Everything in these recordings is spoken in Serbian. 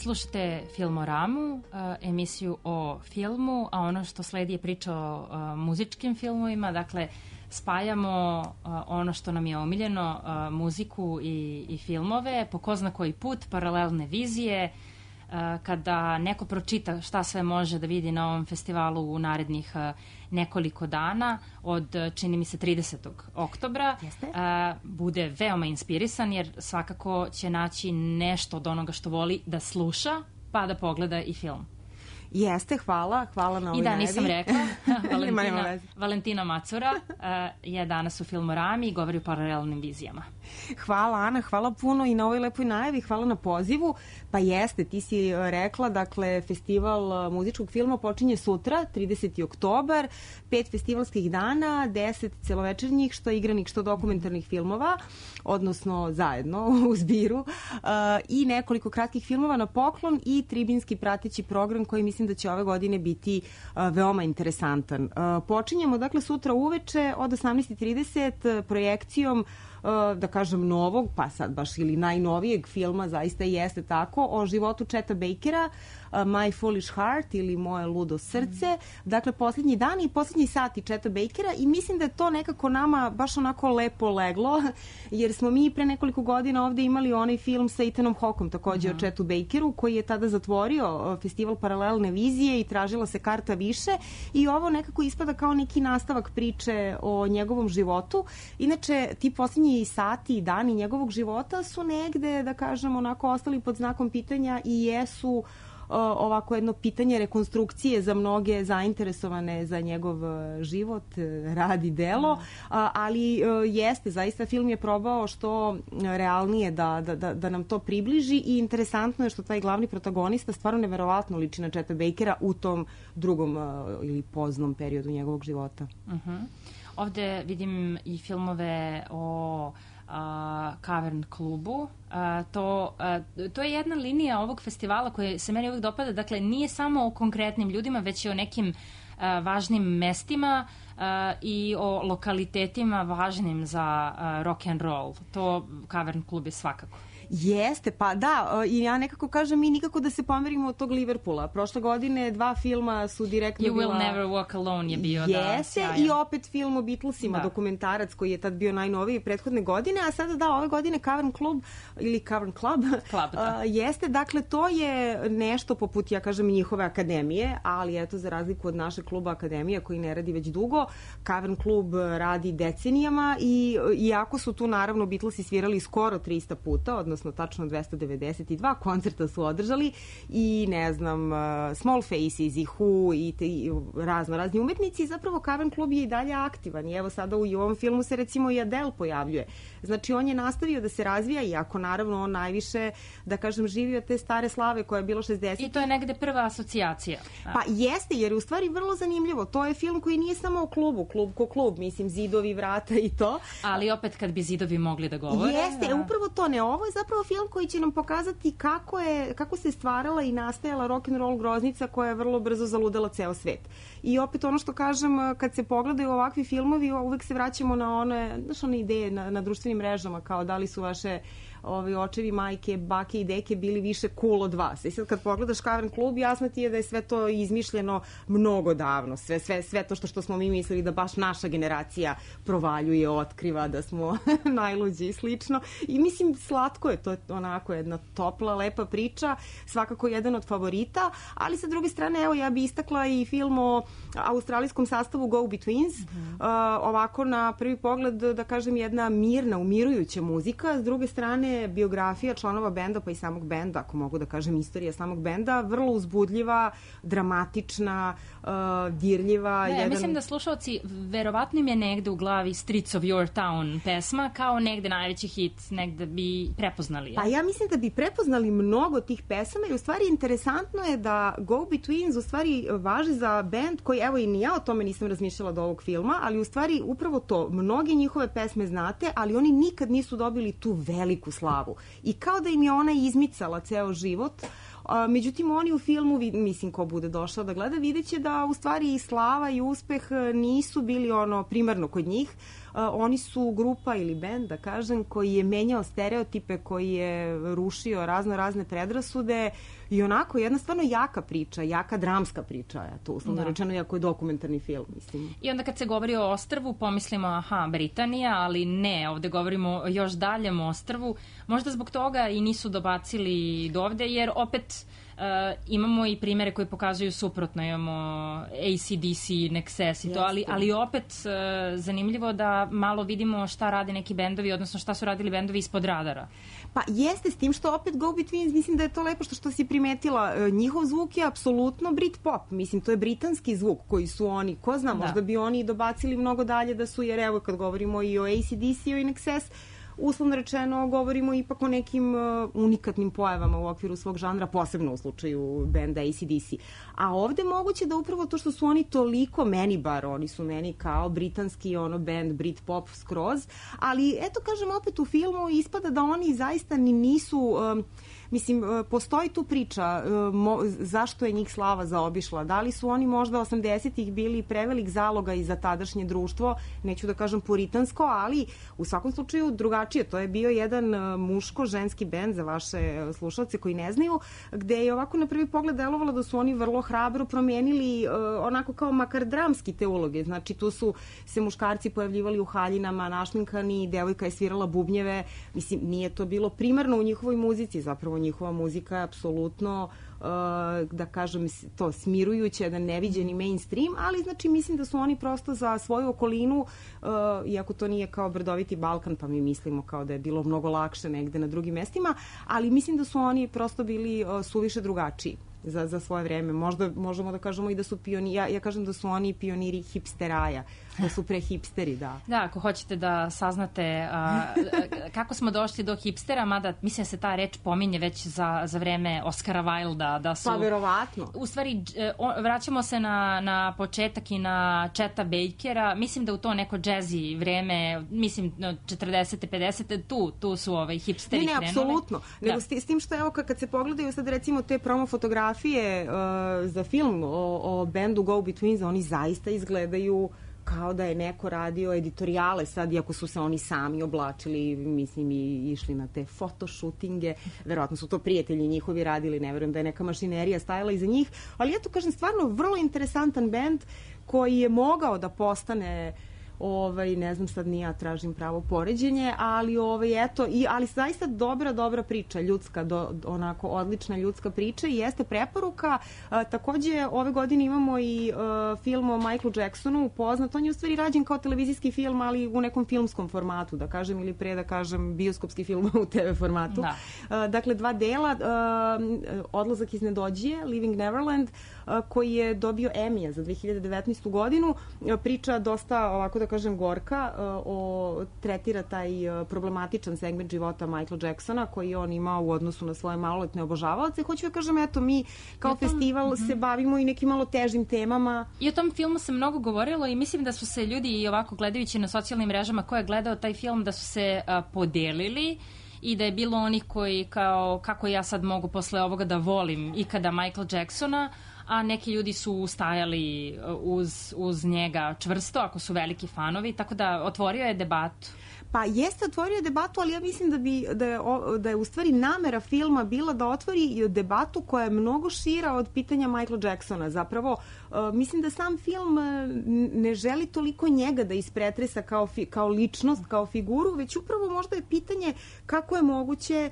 Slušate Filmoramu, emisiju o filmu, a ono što sledi je priča o muzičkim filmovima, dakle spajamo ono što nam je omiljeno, muziku i filmove, po ko zna koji put, paralelne vizije, kada neko pročita šta sve može da vidi na ovom festivalu u narednih nekoliko dana, od, čini mi se, 30. oktobra, bude veoma inspirisan, jer svakako će naći nešto od onoga što voli da sluša, pa da pogleda i film. Jeste, hvala na ovoj I da, nisam rekla, Valentina Macura je danas u Filmorami i govori o paralelnim vizijama. Hvala Ana, hvala puno i na ovoj lepoj najavi, hvala na pozivu. Pa jeste, ti si rekla, dakle, festival muzičkog filma počinje sutra, 30. oktobar, 5 festivalskih dana, 10 celovečernjih, što igranih, što dokumentarnih filmova, odnosno zajedno u zbiru, i nekoliko kratkih filmova na poklon i tribinski prateći program koji mislim da će ove godine biti veoma interesantan. Počinjemo, dakle, sutra uveče od 18:30 projekcijom, da kažem, novog, pa sad baš ili najnovijeg filma, zaista i jeste tako, o životu Cheta Bakera, My Foolish Heart ili Moje ludo srce. Dakle, poslednji dan i poslednji sati Cheta Bakera, i mislim da je to nekako nama baš onako lepo leglo, jer smo mi pre nekoliko godina ovde imali onaj film sa Ethanom Hawkeom, takođe o Chetu Bakeru, koji je tada zatvorio festival paralelne vizije i tražila se karta više, i ovo nekako ispada kao neki nastavak priče o njegovom životu. Inače, ti poslednji sati i dani njegovog života su negde, da kažem, onako ostali pod znakom pitanja i jesu ovako jedno pitanje rekonstrukcije za mnoge zainteresovane za njegov život, rad i delo, ali jeste, zaista film je probao što realnije da nam to približi, i interesantno je što taj glavni protagonista stvarno neverovatno liči na Cheta Bakera u tom drugom ili poznom periodu njegovog života. Ovde vidim i filmove o Cavern klubu. To je jedna linija ovog festivala koja se meni uvijek dopada. Dakle, nije samo o konkretnim ljudima, već i o nekim važnim mestima i o lokalitetima važnim za rock and roll. To Cavern klub je svakako. Jeste, pa da, i ja nekako kažem, mi nikako da se pomerimo od tog Liverpoola. Prošle godine 2 filma su direktno You Will Never Walk Alone je bio, jeste, i opet film o Beatlesima, dokumentarac koji je tad bio najnoviji prethodne godine, a sada ove godine Cavern Club ili Cavern Club, jeste, dakle, to je nešto poput, ja kažem, njihove akademije, ali eto, za razliku od našeg kluba Akademija koji ne radi već dugo, Cavern Club radi decenijama, i iako su tu naravno Beatlesi svirali skoro 300 puta, odnosno tačno 292 koncerta su održali, i ne znam, Small Faces i Who i razni umetnici. Zapravo Cavern klub je i dalje aktivan, i evo sada u ovom filmu se recimo i Adele pojavljuje. Znači, on je nastavio da se razvija, iako naravno on najviše, da kažem, živi od te stare slave koja je bilo 60. I to je negde prva asocijacija. Pa jeste, jer je u stvari vrlo zanimljivo. To je film koji nije samo o klubu, klub ko klub, mislim, zidovi, vrata i to. Ali opet kad bi zidovi mogli da govore. Jeste, upravo to ne. Ovo je zapravo film koji će nam pokazati kako se stvarala i nastajala rock'n'roll groznica koja je vrlo brzo zaludela ceo svet. I opet ono što kažem, kad se pogledaju ovakvi filmovi, uvek se vraćamo na one ideje na društvenim mrežama, kao da li su vaše očevi, majke, bake i deke bili više cool od vas. I sad kad pogledaš Cavern klub, jasno ti je da je sve to izmišljeno mnogo davno. Sve to što smo mi mislili da baš naša generacija provaljuje, otkriva, da smo najluđi i slično. I mislim, slatko je, to je onako jedna topla, lepa priča, svakako jedan od favorita, ali sa druge strane, evo, ja bi istakla i film o australijskom sastavu Go Betweens. Ovako, na prvi pogled, da kažem, jedna mirna, umirujuća muzika, s druge strane biografija članova benda, pa i samog benda, ako mogu da kažem, istorija samog benda, vrlo uzbudljiva, dramatična, dirljiva. Mislim da slušalci, verovatno im je negde u glavi Streets of Your Town pesma, kao negde najveći hit, negde bi prepoznali. Pa ja mislim da bi prepoznali mnogo tih pesama, i u stvari interesantno je da Go Betweens u stvari važi za bend koji, evo, i ni ja o tome nisam razmišljala do ovog filma, ali u stvari upravo to, mnoge njihove pesme znate, ali oni nikad nisu dobili tu veliku slavu. I kao da im je ona izmicala ceo život, međutim oni u filmu, mislim, ko bude došao da gleda, vidjet će da u stvari i slava i uspeh nisu bili ono primarno kod njih. Oni su grupa ili bend, da kažem, koji je menjao stereotipe, koji je rušio razne predrasude i onako jedna stvarno jaka priča, jaka dramska priča, to uslovno rečeno, jako je dokumentarni film, mislim. I onda kad se govori o ostrvu, pomislimo, aha, Britanija, ali ne, ovde govorimo o još daljem ostrvu. Možda zbog toga i nisu dobacili do ovde, jer opet imamo i primere koji pokazuju suprotno, imamo AC/DC, Nexus i to, ali opet zanimljivo da malo vidimo šta rade neki bendovi, odnosno šta su radili bendovi ispod radara. Pa jeste, s tim što opet Go Betweens, mislim da je to lepo što si primetila, njihov zvuk je apsolutno Britpop, mislim, to je britanski zvuk koji su oni, ko zna, možda bi oni dobacili mnogo dalje da su, jer evo kad govorimo i o AC/DC-u i Nexus, uslovno rečeno govorimo ipak o nekim unikatnim pojavama u okviru svog žanra, posebno u slučaju benda AC/DC. A ovde moguće da upravo to što su oni toliko, meni bar, oni su meni kao britanski band Britpop skroz, ali eto kažem opet u filmu ispada da oni zaista ni nisu... Mislim, postoji tu priča zašto je njih slava zaobišla. Da li su oni možda 80-ih bili prevelik zaloga i za tadašnje društvo, neću da kažem puritansko, ali u svakom slučaju drugačije. To je bio jedan muško-ženski bend za vaše slušalce koji ne znaju, gde je ovako na prvi pogled delovalo da su oni vrlo hrabro promenili onako kao makar dramski te uloge. Znači, tu su se muškarci pojavljivali u haljinama, našminkani, devojka je svirala bubnjeve. Mislim, nije to bilo primarno u njihovoj muzici, zapravo njihova muzika je apsolutno, da kažem, to smirujuće, jedan neviđeni mainstream, ali znači mislim da su oni prosto za svoju okolinu, iako to nije kao Brdoviti Balkan, pa mi mislimo kao da je bilo mnogo lakše negde na drugim mestima, ali mislim da su oni prosto bili suviše drugačiji za svoje vreme. Možda možemo da kažemo i da su pioniri, ja kažem da su oni pioniri hipsteraja, da su pre hipsteri, da. Da, ako hoćete da saznate kako smo došli do hipstera, mada mislim da se ta reč pominje već za vreme Oscara Wilda, da su... Pa verovatno. U stvari, vraćamo se na početak i na Cheta Bakera, mislim da u to neko džezi vreme, mislim 40. 50. tu su hipsteri krenuli. Ne, apsolutno. Nego s tim što evo kad se pogledaju sad recimo te promo fotografije za film o bendu Go Betweens, oni zaista izgledaju kao da je neko radio editorijale sad, iako su se oni sami oblačili, mislim, i išli na te fotoshootinge, verovatno su to prijatelji njihovi radili, ne verujem da je neka mašinerija stajala iza njih, ali eto kažem, stvarno vrlo interesantan bend koji je mogao da postane ne znam, sad ni ja tražim pravo poređenje, ali eto, ali zaista dobra priča, ljudska, onako odlična ljudska priča i jeste preporuka. Takođe, ove godine imamo i film o Michaelu Jacksonu, poznat, on je u stvari rađen kao televizijski film, ali u nekom filmskom formatu, da kažem, ili pre da kažem bioskopski film u TV formatu. Da. Dakle, 2 dela, Odlazak iz nedođije, Living Neverland, koji je dobio Emmy-a za 2019. godinu. Priča dosta, ovako da kažem, gorka, tretira taj problematičan segment života Michaela Jacksona koji on imao u odnosu na svoje maloletne obožavaoce. Hoću da kažem, eto, mi kao festival se bavimo i nekim malo težim temama. I o tom filmu se mnogo govorilo i mislim da su se ljudi i ovako gledajući na socijalnim mrežama ko je gledao taj film da su se podelili i da je bilo onih koji kao kako ja sad mogu posle ovoga da volim ikada Michaela Jacksona, a neki ljudi su stajali uz njega čvrsto, ako su veliki fanovi, tako da otvorio je debatu. Pa jeste otvorio debatu, ali ja mislim da je u stvari namera filma bila da otvori debatu koja je mnogo šira od pitanja Michaela Jacksona. Zapravo, mislim da sam film ne želi toliko njega da ispretresa kao ličnost, kao figuru, već upravo možda je pitanje kako je moguće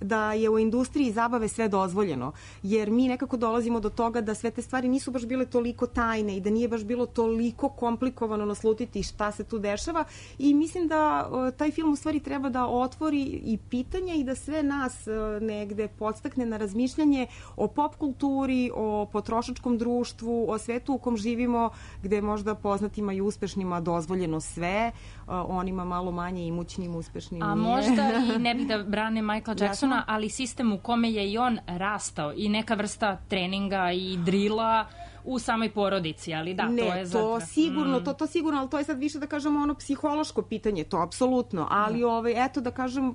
da je u industriji zabave sve dozvoljeno, jer mi nekako dolazimo do toga da sve te stvari nisu baš bile toliko tajne i da nije baš bilo toliko komplikovano naslutiti šta se tu dešava i mislim da taj film u stvari treba da otvori i pitanja i da sve nas negde podstakne na razmišljanje o pop kulturi, o potrošačkom društvu, o svetu u kom živimo, gde možda poznatima i uspešnima dozvoljeno sve, onima malo manje imućnim, uspešnim nije. A možda i ne bih da brane Michaela Jacksona, ali sistem u kome je i on rastao i neka vrsta treninga i drila u samoj porodici, ali da, to je zato. To sigurno, to sigurno, ali to je sad više da kažemo ono psihološko pitanje, to apsolutno, ali eto da kažem,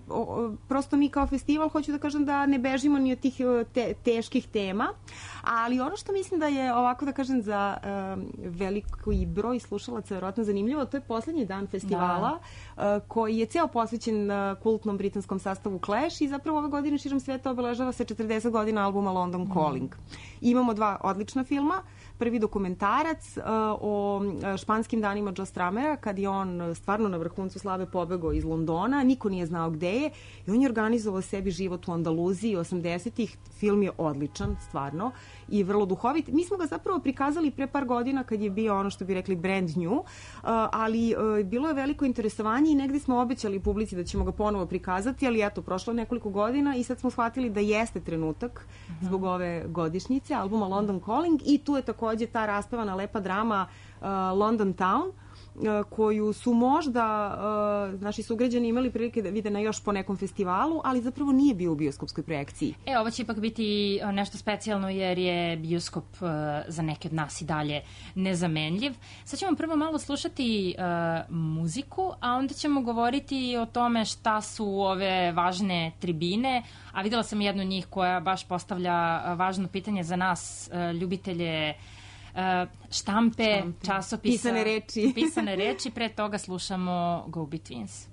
prosto mi kao festival hoću da kažem da ne bežimo ni od tih teških tema, ali ono što mislim da je ovako da kažem za veliki broj slušalaca verovatno zanimljivo, to je poslednji dan festivala koji je ceo posvećen kultnom britanskom sastavu Clash i zapravo ove godine širom sveta obeležava se 40 godina albuma London Calling. Imamo 2 odlična filma. Prvi dokumentarac o španskim danima Joe Stramera, kad je on stvarno na vrhuncu slave pobegao iz Londona, niko nije znao gde je i on je organizovao sebi život u Andaluziji 80-ih. Film je odličan, stvarno, i vrlo duhovit. Mi smo ga zapravo prikazali pre par godina kad je bio ono što bi rekli brand new, ali bilo je veliko interesovanje i negde smo obećali publici da ćemo ga ponovo prikazati, ali eto, prošlo nekoliko godina i sad smo shvatili da jeste trenutak zbog ove godišnjice albuma London Calling i tu je takođe ta raspevana lepa drama London Town, koju su možda naši sugrađani imali prilike da vide na još po nekom festivalu, ali zapravo nije bio u bioskopskoj projekciji. Ovo će ipak biti nešto specijalno jer je bioskop za neke od nas i dalje nezamenljiv. Sad ćemo prvo malo slušati muziku, a onda ćemo govoriti o tome šta su ove važne tribine, a videla sam jednu od njih koja baš postavlja važno pitanje za nas, ljubitelje štampe, časopisa, pisane reči. Pre toga slušamo Go Betweens.